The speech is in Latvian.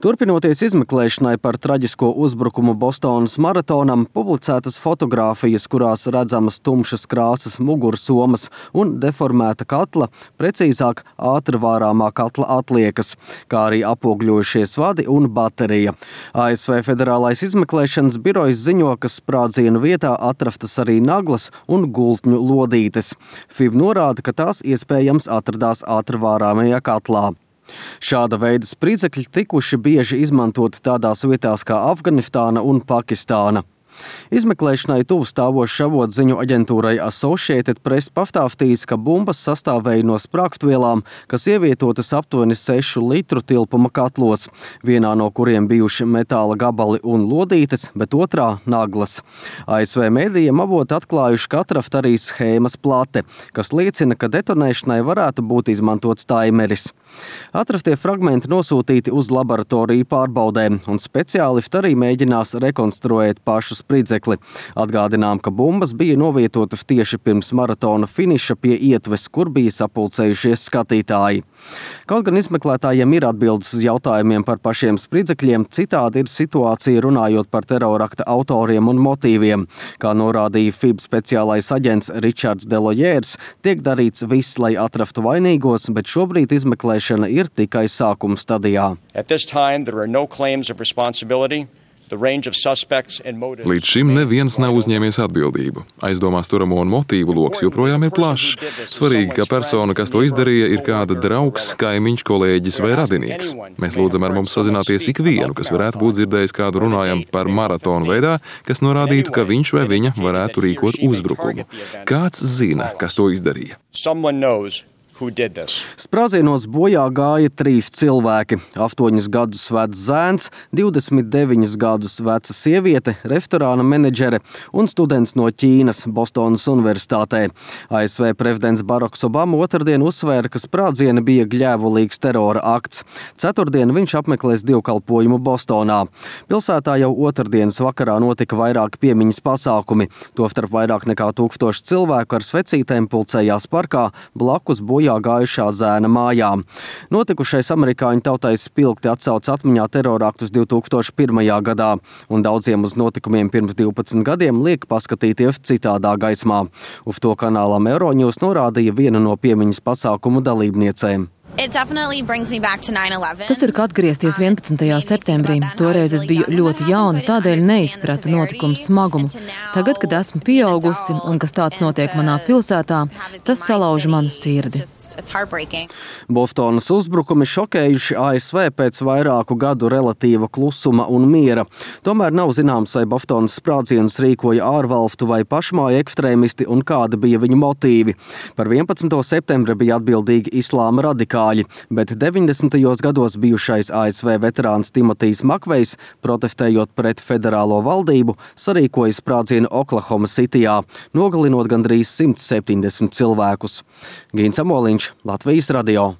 Turpinoties izmeklēšanai par traģisko uzbrukumu Bostonas maratonam, publicētas fotogrāfijas, kurās redzamas tumšas krāsas mugursomas un deformēta katla, precīzāk ātri vārāmā katla atliekas, kā arī apogļojušies vadi un baterija. ASV Federālais izmeklēšanas birojs ziņo, ka sprādzienu vietā atrastas arī naglas un gultņu lodītes. FIB norāda, ka tās iespējams atradās ātri vārāmajā katlā. Šāda veida spridzekļi tikuši bieži izmantoti tādās vietās kā Afganistāna un Pakistāna. Izmeklēšanai tuvu stāvošs avots ziņu aģentūrai Associated Press pastāstījis, ka bumbas sastāvēja no sprākstvielām, kas ievietotas aptuveni 6 litru tilpuma katlos, vienā no kuriem bijuši metāla gabali un lodītes, bet otrā naglas. ASV mēdījiem avoti atklājuši, ka atraft arī schēmas plate, kas liecina, ka detonēšanai varētu būt izmantots taimeris. Atrastie fragmenti nosūtīti uz laboratoriju pārbaudēm, un speciālisti arī mēģinās rekonstruēt pašu spridzekli. Atgādinām, ka bumbas bija novietotas tieši pirms maratona finiša pie ietves, kur bija sapulcējušies skatītāji. Kaut gan izmeklētājiem ir atbildes uz jautājumiem par pašiem spridzekļiem, citādi ir situācija runājot par terorakta autoriem un motīviem. Kā norādīja FIB speciālais aģents Ričards Delojērs, tiek darīts viss, lai atrastu vainīgos, bet šobrīd izmeklēšana ir tikai sākuma stadijā. Līdz šim neviens nav uzņēmies atbildību. Aizdomās turamo un motīvu loks joprojām ir plašs. Svarīgi, ka persona, kas to izdarīja, ir kāda draugs, kaimiņš, kolēģis vai radinieks. Mēs lūdzam ar mums sazināties ikvienu, kas varētu būt dzirdējis kādu runājam par maratonu veidā, kas norādītu, ka viņš vai viņa varētu rīkot uzbrukumu. Kāds zina, kas to izdarīja? Sprādzienos bojā gāja 3 cilvēki – 8 gadus vecs zēns, 29 gadus veca sieviete, restorāna menedžere un students no Ķīnas Bostonas universitātē. ASV prezidents Baraks Obama otrdien uzsvēra, ka sprādzieni bija gļēvulīgs terora akts. Ceturtdien viņš apmeklēs dievkalpojumu Bostonā. Pilsētā jau otrdienas vakarā notika vairāki piemiņas pasākumi. Tostarp vairāk nekā 1000 cilvēku ar svecītēm pulcējās parkā blakus bojā gājušā zēna mājām. Notikušais amerikāņu tautai spilgti atsauc atmiņā teroraktus 2001. gadā, un daudziem uz notikumiem pirms 12 gadiem liek paskatīties citādā gaismā. Uz to kanālam Euronews norādīja viena no piemiņas pasākumu dalībniecēm. Tas ir kā atgriezties 11. septembrī. Toreiz es biju ļoti jauna, tādēļ neizpratu notikumu smagumu. Tagad, kad esmu pieaugusi un kas tāds notiek manā pilsētā, tas salauž manu sirdi. Bostonas uzbrukumi šokējuši ASV pēc vairāku gadu relatīva klusuma un miera. Tomēr nav zināms, vai Bostonas sprādzienus rīkoja ārvalstu vai pašmāju ekstrēmisti un kādi bija viņu motīvi. Par 11. septembri bija atbildīgi islāma radikāļi, bet 90. gados bijušais ASV veterāns Timotijs Makvejs, protestējot pret federālo valdību, sarīkoja sprādzienu Oklahoma Cityjā, nogalinot gandrīz 170 cilvēkus. Gīns Amoliņš, Latvijas radio.